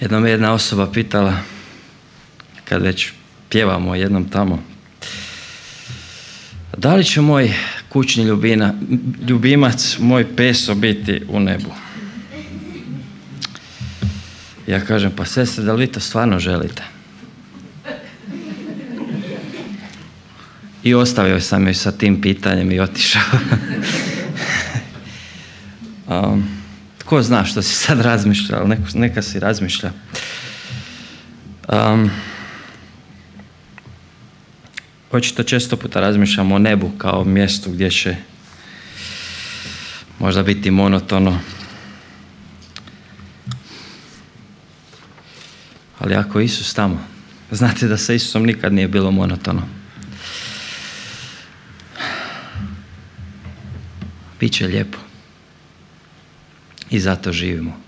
Jednom je jedna osoba pitala, kad već pjevamo jednom tamo, da li će moj kućni ljubimac, moj peso biti u nebu? Ja kažem, pa sestre, da li vi to stvarno želite? I ostavio sam joj sa tim pitanjem i otišao. Tko zna što si sad razmišlja, ali neka si razmišlja. Očito često puta razmišljamo o nebu kao mjestu gdje će možda biti monotono. Ali ako je Isus tamo, znate da sa Isusom nikad nije bilo monotono. Biće lijepo. I zato živimo.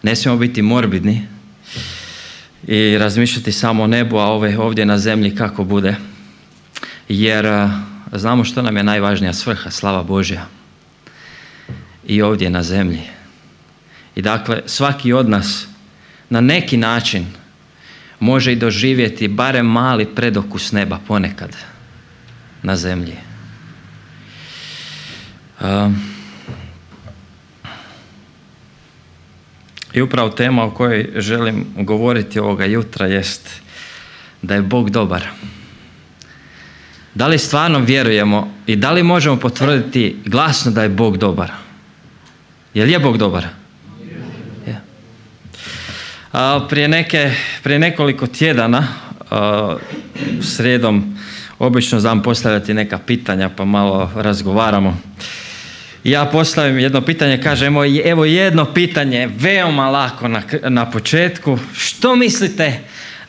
Ne smijemo biti morbidni i razmišljati samo o nebu, a ovdje na zemlji kako bude. Jer znamo što nam je najvažnija svrha, slava Božja. I ovdje na zemlji. I dakle, svaki od nas na neki način može i doživjeti barem mali predokus neba ponekad na zemlji. I upravo tema o kojoj želim govoriti ovoga jutra jest da je Bog dobar. Da li stvarno vjerujemo i da li možemo potvrditi glasno da je Bog dobar? Jel je Bog dobar? Je. Prije nekoliko tjedana, srijedom, obično znam postavljati neka pitanja pa malo razgovaramo. Ja postavim jedno pitanje, kažem, evo jedno pitanje, veoma lako na početku. Što mislite,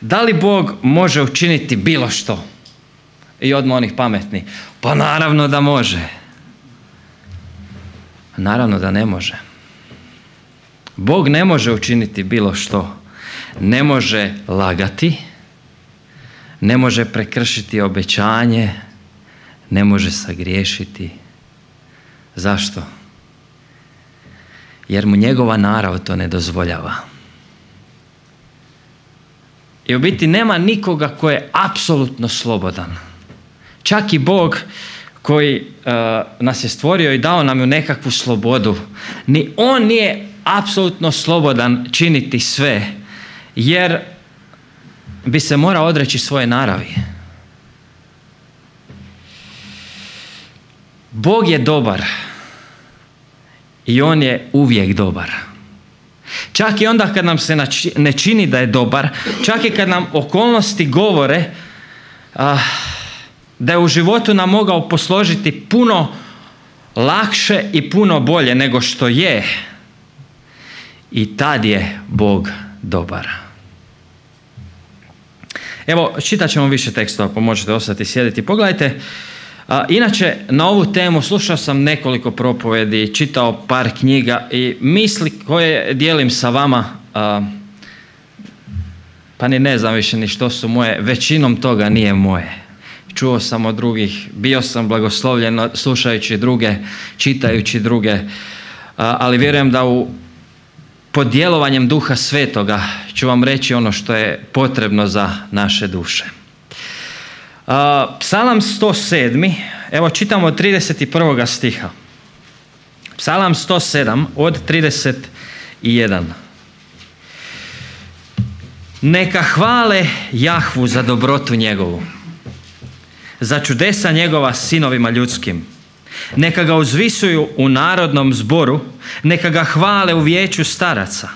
da li Bog može učiniti bilo što? I odmah onih pametni. Pa naravno da može. Naravno da ne može. Bog ne može učiniti bilo što. Ne može lagati, ne može prekršiti obećanje, ne može sagriješiti. Zašto? Jer mu njegova narav to ne dozvoljava. I u biti nema nikoga ko je apsolutno slobodan. Čak i Bog koji nas je stvorio i dao nam ju nekakvu slobodu, ni on nije apsolutno slobodan činiti sve, jer bi se morao odreći svoje naravi. Bog je dobar i on je uvijek dobar. Čak i onda kad nam se ne čini da je dobar, čak i kad nam okolnosti govore da je u životu nam mogao posložiti puno lakše i puno bolje nego što je, i tad je Bog dobar. Evo, čitat ćemo više tekstova, pa možete ostati sjediti. Pogledajte, inače na ovu temu slušao sam nekoliko propovedi, čitao par knjiga i misli koje dijelim sa vama, pa ni ne znam više ni što su moje, većinom toga nije moje. Čuo sam od drugih, bio sam blagoslovljen slušajući druge, čitajući druge, ali vjerujem da pod djelovanjem Duha Svetoga ću vam reći ono što je potrebno za naše duše. Psalam 107, evo čitamo od 31. stiha. Psalam 107 od 31. Neka hvale Jahvu za dobrotu njegovu, za čudesa njegova sinovima ljudskim. Neka ga uzvisuju u narodnom zboru, neka ga hvale u vijeću staraca.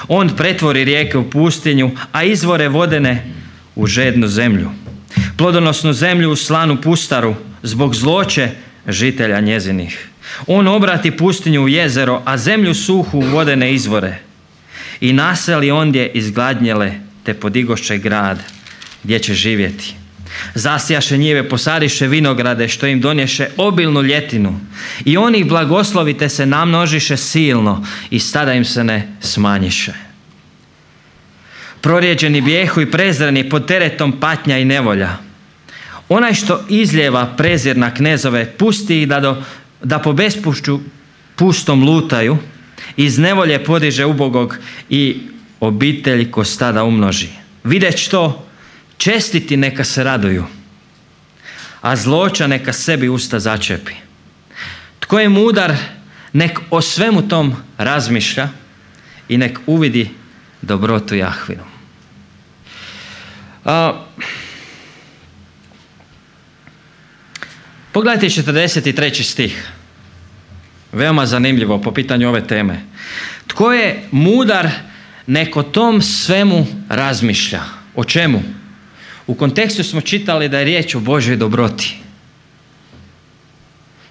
On pretvori rijeke u pustinju, a izvore vodene u žednu zemlju. Plodonosnu zemlju u slanu pustaru, zbog zloće žitelja njezinih. On obrati pustinju u jezero, a zemlju suhu u vodene izvore. I naseli ondje izgladnjele, te podigoše grad gdje će živjeti. Zasjaše njive, posadiše vinograde, što im donješe obilnu ljetinu. I oni ih blagoslovite se namnožiše silno i stada im se ne smanjiše. Prorijeđeni bijehu i prezreni pod teretom patnja i nevolja. Onaj što izljeva prezir na knezove, pusti ih da po bespušću pustom lutaju, iz nevolje podiže ubogog i obitelji ko stada umnoži. Videć to, čestiti neka se raduju, a zloća neka sebi usta začepi. Tko je mudar, nek o svemu tom razmišlja i nek uvidi dobrotu Jahvinu. Pogledajte 43. stih. Veoma zanimljivo po pitanju ove teme. Tko je mudar, nek o tom svemu razmišlja. O čemu? U kontekstu smo čitali da je riječ o Božoj dobroti.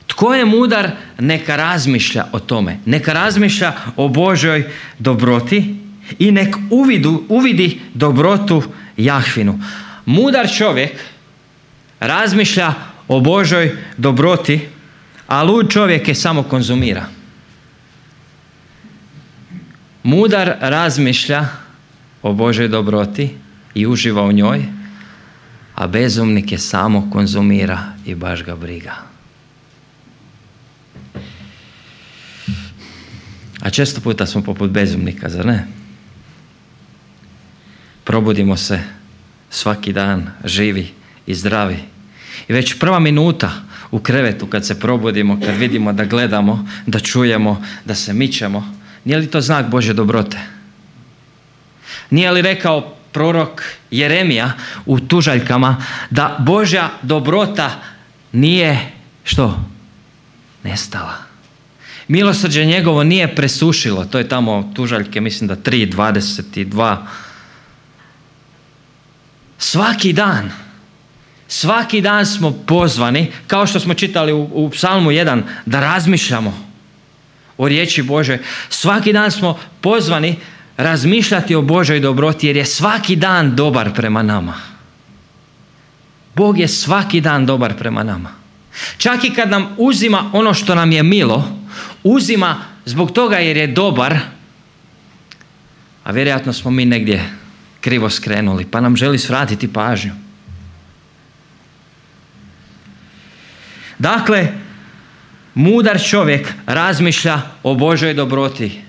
Tko je mudar, neka razmišlja o tome. Neka razmišlja o Božoj dobroti i nek uvidi dobrotu Jahvinu. Mudar čovjek razmišlja o Božoj dobroti, a lud čovjek je samo konzumira. Mudar razmišlja o Božoj dobroti i uživa u njoj, a bezumnik je samo konzumira i baš ga briga. A često puta smo poput bezumnika, zar ne? Probudimo se svaki dan živi i zdravi. I već prva minuta u krevetu kad se probudimo, kad vidimo da gledamo, da čujemo, da se mičemo, nije li to znak Božje dobrote? Nije li rekao prorok Jeremija u tužaljkama da Božja dobrota nije, što? Nestala. Milosrđe njegovo nije presušilo. To je tamo tužaljke, mislim da 3:22. Svaki dan smo pozvani, kao što smo čitali u Psalmu 1, da razmišljamo o riječi Bože. Svaki dan smo pozvani razmišljati o Božoj dobroti, jer je svaki dan dobar prema nama. Bog je svaki dan dobar prema nama. Čak i kad nam uzima ono što nam je milo, uzima zbog toga jer je dobar, a vjerojatno smo mi negdje krivo skrenuli, pa nam želi svratiti pažnju. Dakle, mudar čovjek razmišlja o Božoj dobroti,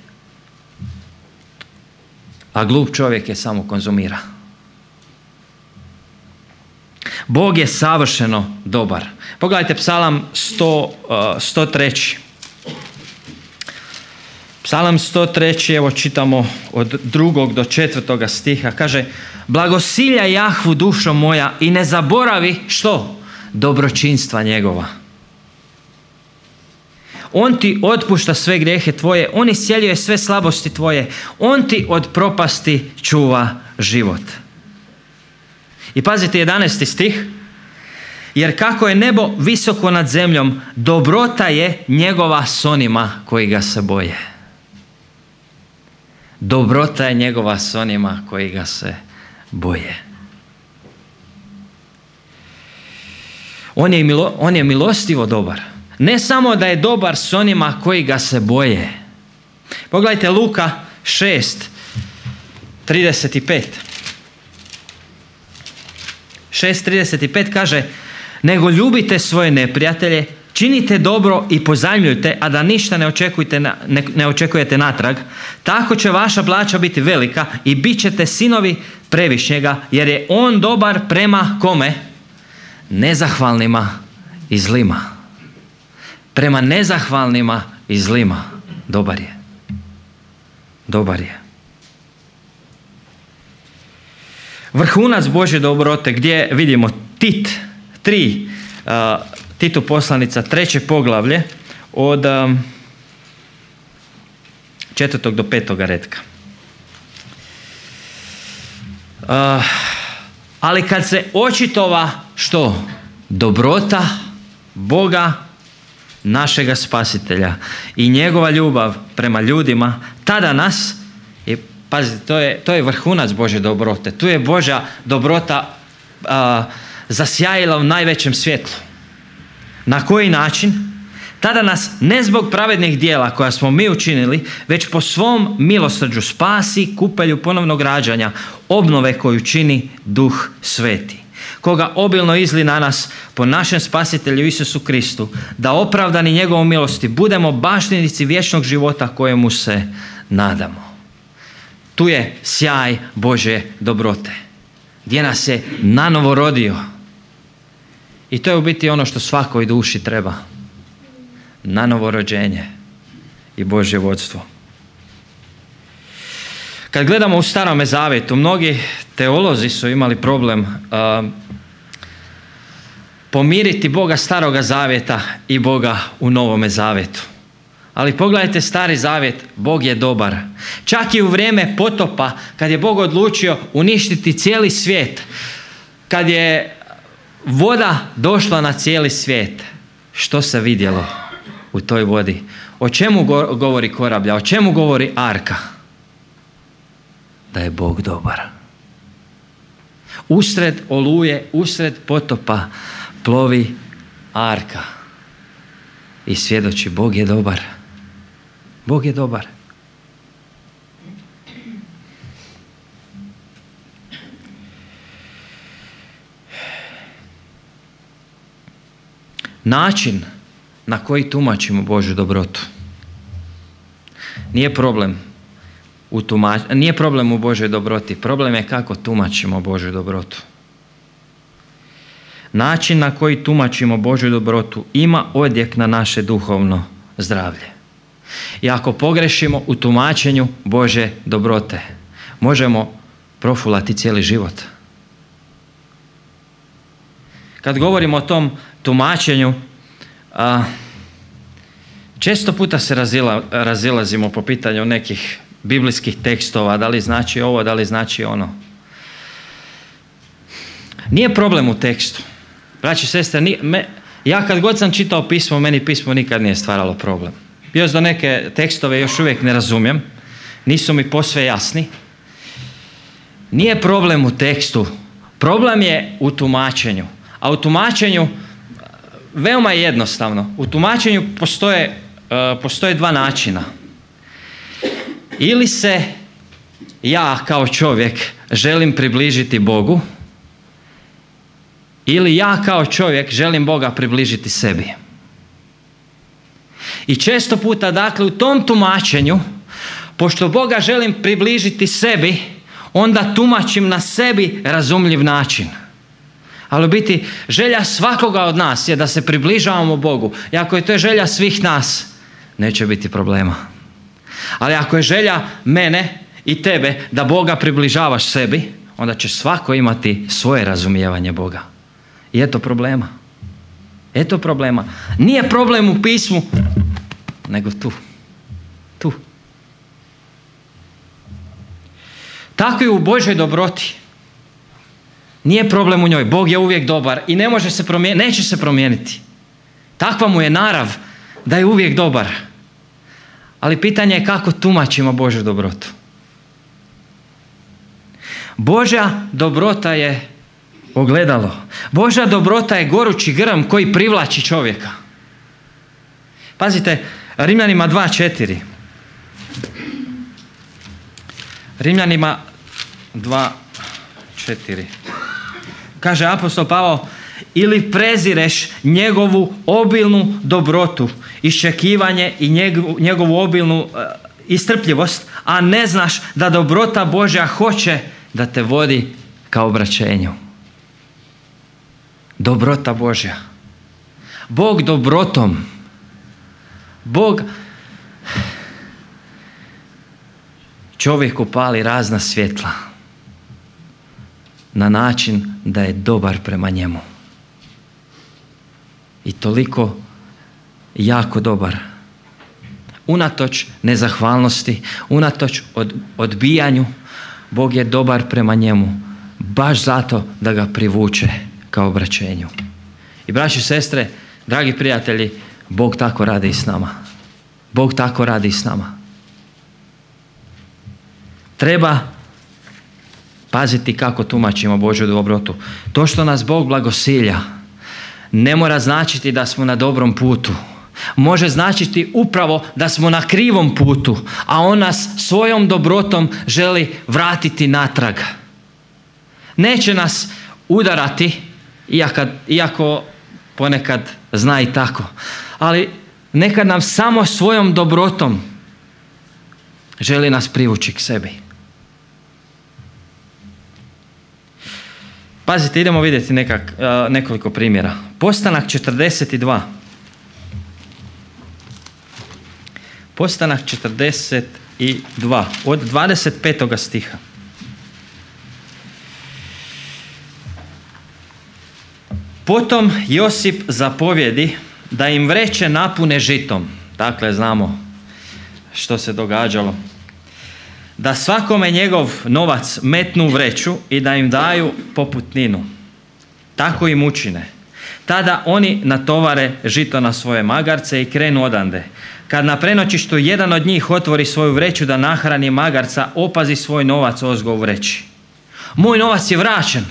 a glup čovjek je samo konzumira. Bog je savršeno dobar. Pogledajte Psalam 103. Psalam 103, evo čitamo od 2. do 4. stiha. Kaže, blagosilja Jahvu dušo moja i ne zaboravi, što? Dobročinstva njegova. On ti otpušta sve grijehe tvoje, on iscijeljuje sve slabosti tvoje, on ti od propasti čuva život. I pazite 11. stih. Jer kako je nebo visoko nad zemljom, dobrota je njegova s onima koji ga se boje. Dobrota je njegova s onima koji ga se boje. On je milostivo dobar. Ne samo da je dobar s onima koji ga se boje. Pogledajte Luka 6:35. 6:35 kaže, nego ljubite svoje neprijatelje, činite dobro i pozajmljujte, a da ništa ne očekujete natrag. Tako će vaša plaća biti velika i bit ćete sinovi Previšnjega, jer je on dobar prema kome? Nezahvalnima i zlima. Prema nezahvalnima i zlima. Dobar je. Dobar je. Vrhunac Božje dobrote gdje vidimo Tit 3, Titu poslanica 3. poglavlje od 4. do 5. retka. Ali kad se očitova što? Dobrota Boga našega Spasitelja i njegova ljubav prema ljudima, tada nas, pazite, to je vrhunac Božje dobrote. Tu je Božja dobrota zasjajila u najvećem svjetlu. Na koji način? Tada nas ne zbog pravednih djela koja smo mi učinili, već po svom milosrđu spasi kupelju ponovnog rađanja, obnove koju čini Duh Sveti, koga obilno izli na nas po našem Spasitelju Isusu Kristu, da opravdani njegovom milosti budemo baštinici vječnog života kojemu se nadamo. Tu je sjaj Božje dobrote, gdje nas je nanovo rodio. I to je u biti ono što svakoj duši treba. Nanovo rođenje i Božje vodstvo. Kad gledamo u Starome Zavjetu, mnogi teolozi su imali problem pomiriti Boga Staroga Zavjeta i Boga u Novome Zavjetu. Ali pogledajte Stari Zavjet, Bog je dobar. Čak i u vrijeme potopa, kad je Bog odlučio uništiti cijeli svijet, kad je voda došla na cijeli svijet, što se vidjelo u toj vodi? O čemu govori korablja? O čemu govori arka? Da je Bog dobar. Usred oluje, usred potopa plovi arka i svjedoči Bog je dobar. Bog je dobar. Način na koji tumačimo Božju dobrotu nije problem nije problem u Božjoj dobroti, problem je kako tumačimo Božju dobrotu. Način na koji tumačimo Božju dobrotu ima odjek na naše duhovno zdravlje. I ako pogrešimo u tumačenju Božje dobrote, možemo profulati cijeli život. Kad govorimo o tom tumačenju, često puta se razilazimo po pitanju nekih biblijskih tekstova, da li znači ovo, da li znači ono. Nije problem u tekstu. Braći i sestre, ja kad god sam čitao pismo, meni pismo nikad nije stvaralo problem. Još do neke tekstove još uvijek ne razumijem, nisu mi posve jasni. Nije problem u tekstu, problem je u tumačenju. A u tumačenju veoma je jednostavno. U tumačenju postoje dva načina. Ili se ja kao čovjek želim približiti Bogu, ili ja kao čovjek želim Boga približiti sebi. I često puta, dakle, u tom tumačenju, pošto Boga želim približiti sebi, onda tumačim na sebi razumljiv način. Ali u biti želja svakoga od nas je da se približavamo Bogu. I ako je to želja svih nas, neće biti problema. Ali ako je želja mene i tebe da Boga približavaš sebi, onda će svako imati svoje razumijevanje Boga. I eto problema. Eto problema. Nije problem u pismu, nego tu. Tu. Tako i u Božoj dobroti. Nije problem u njoj. Bog je uvijek dobar i ne može se promijeniti, neće se promijeniti. Takva mu je narav da je uvijek dobar. Ali pitanje je kako tumačimo Božju dobrotu. Božja dobrota je ogledalo. Božja dobrota je gorući grm koji privlači čovjeka. Pazite, Rimljanima 2.4. Rimljanima 2.4. Kaže apostol Pavao, ili prezireš njegovu obilnu dobrotu, iščekivanje i njegovu obilnu istrpljivost, a ne znaš da dobrota Božja hoće da te vodi ka obraćenju. Dobrota Božja. Bog dobrotom. Bog čovjeku pali razna svjetla na način da je dobar prema njemu. I toliko jako dobar. Unatoč nezahvalnosti, unatoč odbijanju, Bog je dobar prema njemu. Baš zato da ga privuče ka obraćenju. I braći i sestre, dragi prijatelji, Bog tako radi i s nama. Bog tako radi i s nama. Treba paziti kako tumačimo Božju dobrotu. To što nas Bog blagosilja ne mora značiti da smo na dobrom putu. Može značiti upravo da smo na krivom putu, a on nas svojom dobrotom želi vratiti natrag. Neće nas udarati, iako ponekad zna i tako, ali nekad nam samo svojom dobrotom želi nas privući k sebi. Pazite, idemo vidjeti nekoliko primjera. Postanak 42. Postanak 42, od 25. stiha. Potom Josip zapovjedi da im vreće napune žitom. Dakle, znamo što se događalo. Da svakome njegov novac metnu u vreću i da im daju poputninu. Tako im učine. Tada oni natovare žito na svoje magarce i krenu odande. Kad na prenoćištu jedan od njih otvori svoju vreću da nahrani magarca, opazi svoj novac ozgo u vreći. Moj novac je vraćen.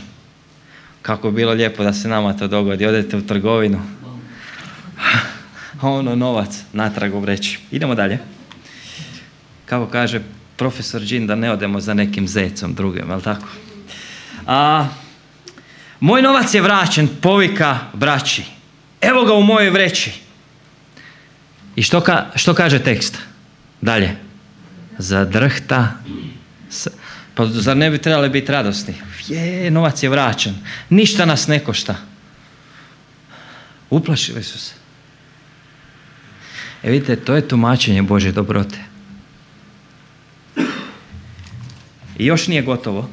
Kako bi bilo lijepo da se nama to dogodi. Odete u trgovinu, a ono novac natrag u vreći. Idemo dalje. Kako kaže profesor Đin, da ne odemo za nekim zecom drugim, jel tako? Moj novac je vraćen, povika braći. Evo ga u mojoj vreći. I što kaže tekst? Dalje. Zadrhta. Pa zar ne bi trebali biti radosni? Novac je vraćen. Ništa nas ne košta. Uplašili su se. Vidite, to je tumačenje Božje dobrote. I još nije gotovo.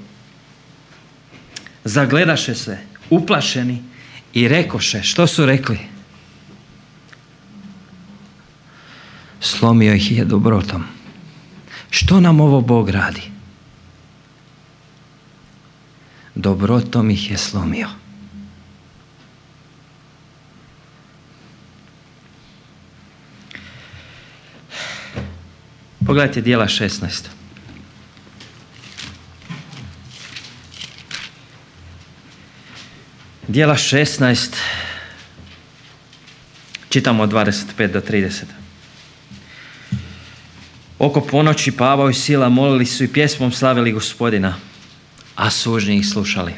Zagledaše se, uplašeni i rekoše. Što su rekli? Slomio ih je dobrotom. Što nam ovo Bog radi? Dobrotom ih je slomio. Pogledajte Djela 16. Djela 16, čitamo od 25 do 30. Oko ponoći Pavao i Sila molili su i pjesmom slavili Gospodina, a sužnji ih slušali.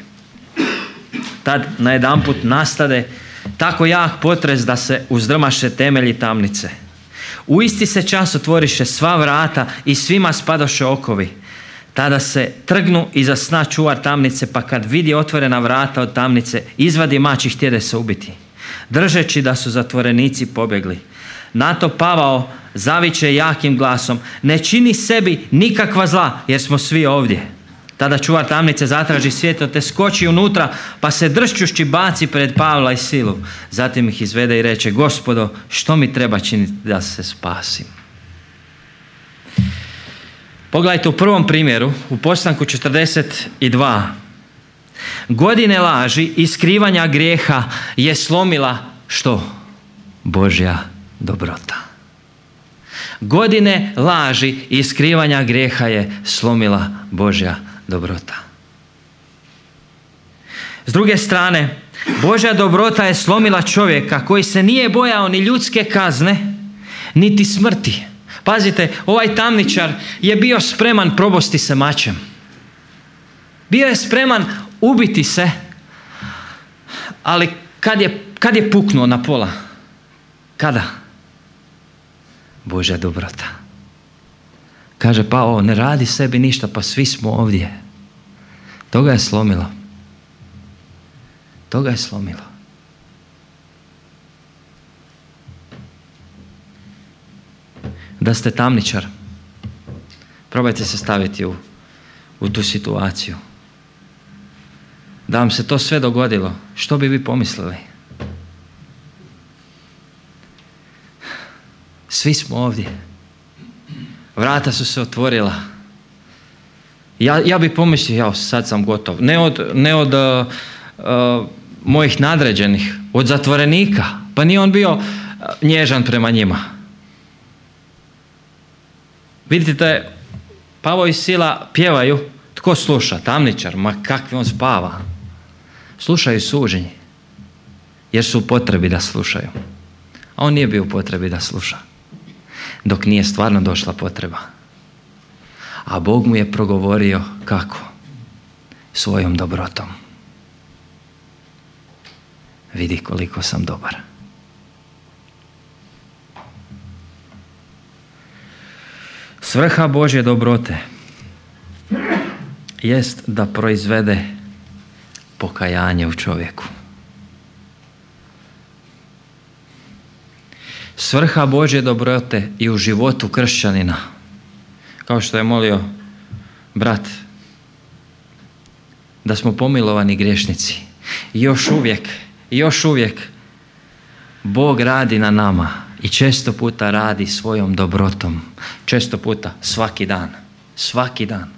Tad najedanput nastade tako jak potres da se uzdrmaše temelji tamnice. U isti se čas otvoriše sva vrata i svima spadoše okovi. Tada se trgnu iza sna čuvar tamnice, pa kad vidi otvorena vrata od tamnice, izvadi mač i htjede se ubiti, držeći da su zatvorenici pobjegli. Na to Pavao zaviče jakim glasom: ne čini sebi nikakva zla, jer smo svi ovdje. Tada čuvar tamnice zatraži svjetlo te skoči unutra, pa se dršćušći baci pred Pavla i Silu. Zatim ih izvede i reče: Gospodo, što mi treba činiti da se spasim? Pogledajte u prvom primjeru, u postanku 42. Godine laži i skrivanja grijeha je slomila što? Božja dobrota. Godine laži i skrivanja grijeha je slomila Božja dobrota. S druge strane, Božja dobrota je slomila čovjeka koji se nije bojao ni ljudske kazne, niti smrti. Pazite, ovaj tamničar je bio spreman probosti se mačem. Bio je spreman ubiti se, ali kad je puknuo na pola? Kada? Božja dobrota. Kaže Pavao, ne radi sebi ništa, pa svi smo ovdje. Toga je slomilo. Toga je slomilo. Da ste tamničar, probajte se staviti u tu situaciju. Da vam se to sve dogodilo, što bi vi pomislili? Svi smo ovdje. Vrata su se otvorila. Ja bi pomislio, sad sam gotov. Ne od mojih nadređenih, od zatvorenika. Pa nije on bio nježan prema njima. Vidite, Pavao i Sila pjevaju. Tko sluša? Tamničar. Ma kakvi on spava. Slušaju suženji. Jer su u potrebi da slušaju. A on nije bio u potrebi da sluša. Dok nije stvarno došla potreba. A Bog mu je progovorio kako? Svojom dobrotom. Vidi koliko sam dobar. Svrha Božje dobrote jest da proizvede pokajanje u čovjeku. Svrha Božje dobrote i u životu kršćanina, kao što je molio brat, da smo pomilovani griješnici. I još uvijek Bog radi na nama i često puta radi svojom dobrotom. Često puta, svaki dan.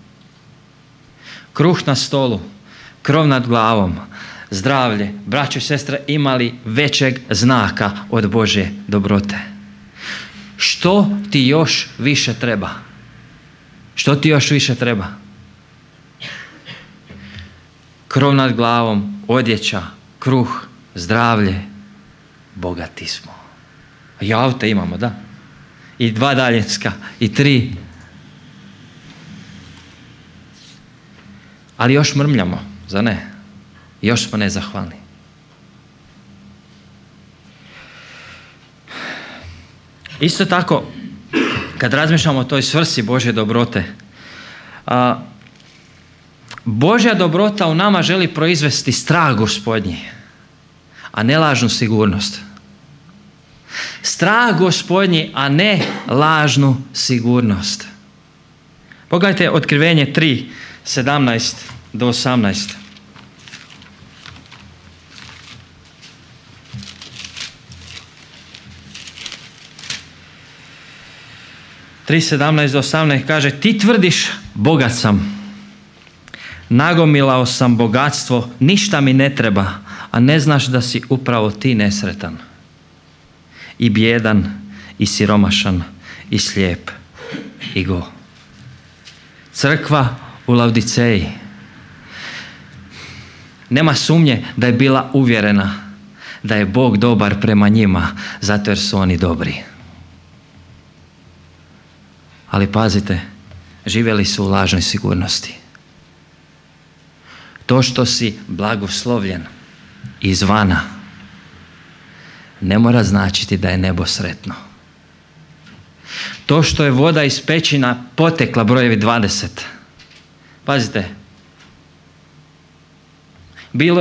Kruh na stolu, krov nad glavom, zdravlje, braćo i sestre, imali većeg znaka od Božje dobrote. Što ti još više treba? Krov nad glavom, odjeća, kruh, zdravlje, bogati smo. I aute imamo, da. I 2 daljinska, i 3. Ali još mrmljamo, zar ne? Još smo nezahvalni. Isto tako, kad razmišljamo o toj svrsi Božje dobrote, Božja dobrota u nama želi proizvesti strah Gospodnji, a ne lažnu sigurnost. Strah Gospodnji, a ne lažnu sigurnost. Pogledajte Otkrivenje 3, 17 do 18. 3:17 do 18 kaže: ti tvrdiš, bogat sam, nagomilao sam bogatstvo, ništa mi ne treba, a ne znaš da si upravo ti nesretan i bijedan i siromašan i slijep i go. Crkva u Laodiceji, nema sumnje da je bila uvjerena da je Bog dobar prema njima zato jer su oni dobri. Ali pazite, živjeli su u lažnoj sigurnosti. To što si blagoslovljen izvana ne mora značiti da je nebo sretno. To što je voda iz pećina potekla, brojevi 20. Pazite,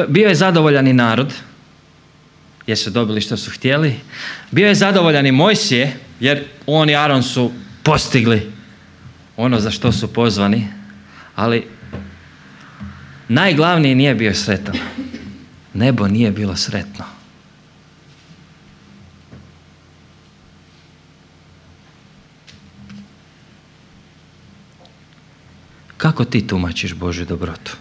bio je zadovoljan i narod jer su dobili što su htjeli. Bio je zadovoljan i Mojsije jer on i Aron su postigli ono za što su pozvani, ali najglavniji nije bio sretan. Nebo nije bilo sretno. Kako ti tumačiš Božju dobrotu?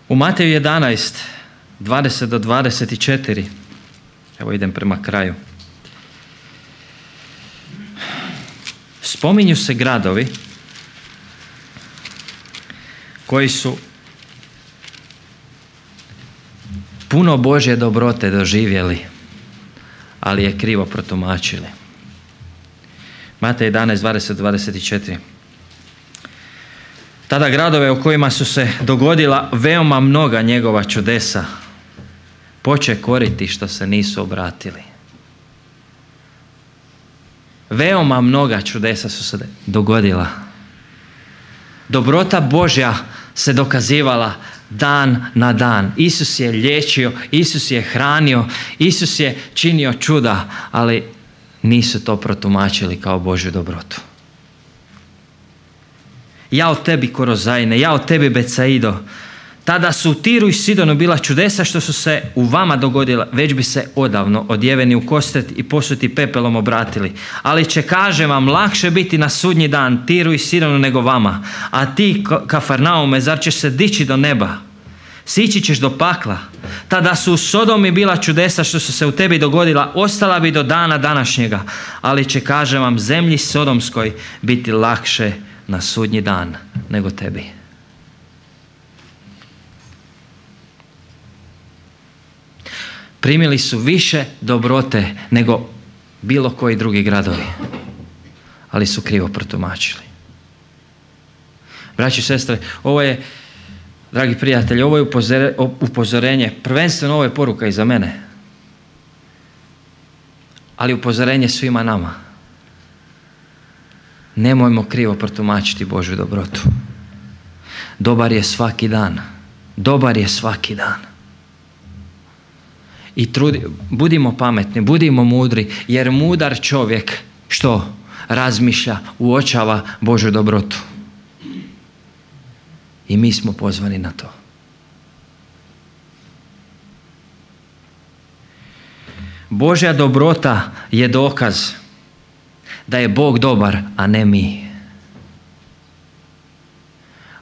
U Mateju 11, 20 do 24, evo idem prema kraju, spominju se gradovi koji su puno Božje dobrote doživjeli, ali je krivo protumačili. Matej 11, 20, 24. Tada gradove u kojima su se dogodila veoma mnoga njegova čudesa poče koriti što se nisu obratili. Veoma mnoga čudesa su se dogodila. Dobrota Božja se dokazivala dan na dan. Isus je liječio, Isus je hranio, Isus je činio čuda, ali nisu to protumačili kao Božju dobrotu. Jao tebi Korozajne, jao tebi Becaido, tada su u Tiru i Sidonu bila čudesa što su se u vama dogodila, već bi se odavno odjeveni u kostet i posuti pepelom obratili. Ali će, kažem vam, lakše biti na sudnji dan Tiru i Sidonu nego vama. A ti, Kafarnaume, zar ćeš se dići do neba? Sići ćeš do pakla. Tada su u Sodomi bila čudesa što su se u tebi dogodila, ostala bi do dana današnjega. Ali će, kažem vam, zemlji Sodomskoj biti lakše na sudnji dan nego tebi. Primili su više dobrote nego bilo koji drugi gradovi, ali su krivo protumačili. Braći i sestre, ovo je, dragi prijatelji, ovo je upozorenje, prvenstveno ovo je poruka i za mene, ali upozorenje svima nama. Nemojmo krivo protumačiti Božju dobrotu. Dobar je svaki dan. Dobar je svaki dan. I budimo pametni, budimo mudri, jer mudar čovjek što? Razmišlja, uočava Božju dobrotu. I mi smo pozvani na to. Božja dobrota je dokaz da je Bog dobar, a ne mi.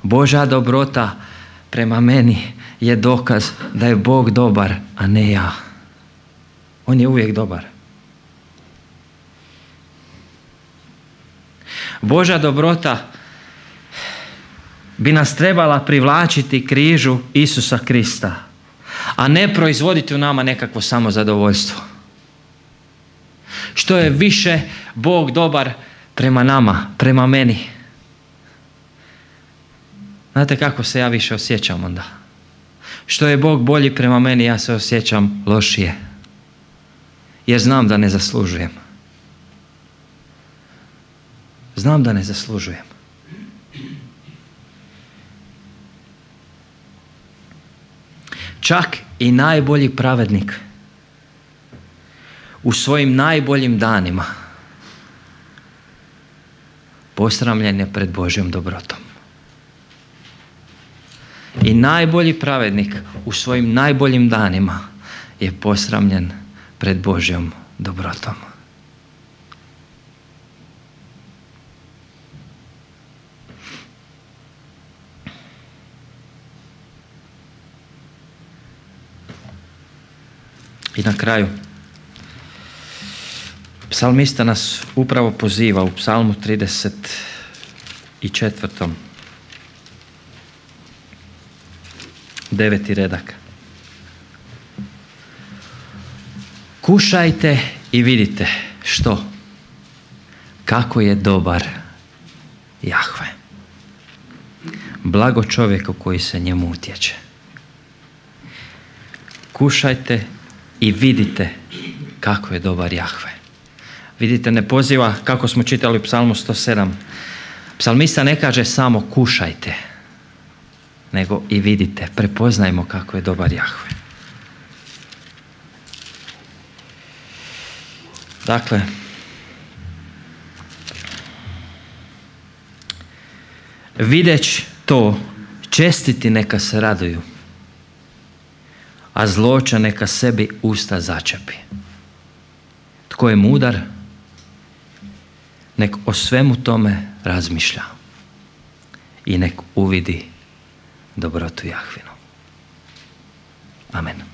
Božja dobrota prema meni je dokaz da je Bog dobar, a ne ja. On je uvijek dobar. Božja dobrota bi nas trebala privlačiti križu Isusa Krista, a ne proizvoditi u nama nekakvo samozadovoljstvo. Što je više Bog dobar prema nama, prema meni, znate kako se ja više osjećam onda? Što je Bog bolji prema meni, ja se osjećam lošije. Jer znam da ne zaslužujem. Znam da ne zaslužujem. Čak i najbolji pravednik u svojim najboljim danima posramljen je pred Božjom dobrotom. I najbolji pravednik u svojim najboljim danima je posramljen pred Božjom dobrotom. I na kraju, psalmista nas upravo poziva u psalmu 34. 9. redak. Kušajte i vidite što? Kako je dobar Jahve. Blago čovjeku koji se njemu utječe. Kušajte i vidite kako je dobar Jahve. Vidite, ne poziva, kako smo čitali u psalmu 107. Psalmista ne kaže samo kušajte, nego i vidite, prepoznajmo kako je dobar Jahve. Dakle, videć to, čestiti neka se raduju, a zloća neka sebi usta začepi. Tko je mudar, nek o svemu tome razmišlja i nek uvidi dobrotu Jahvinu. Amen.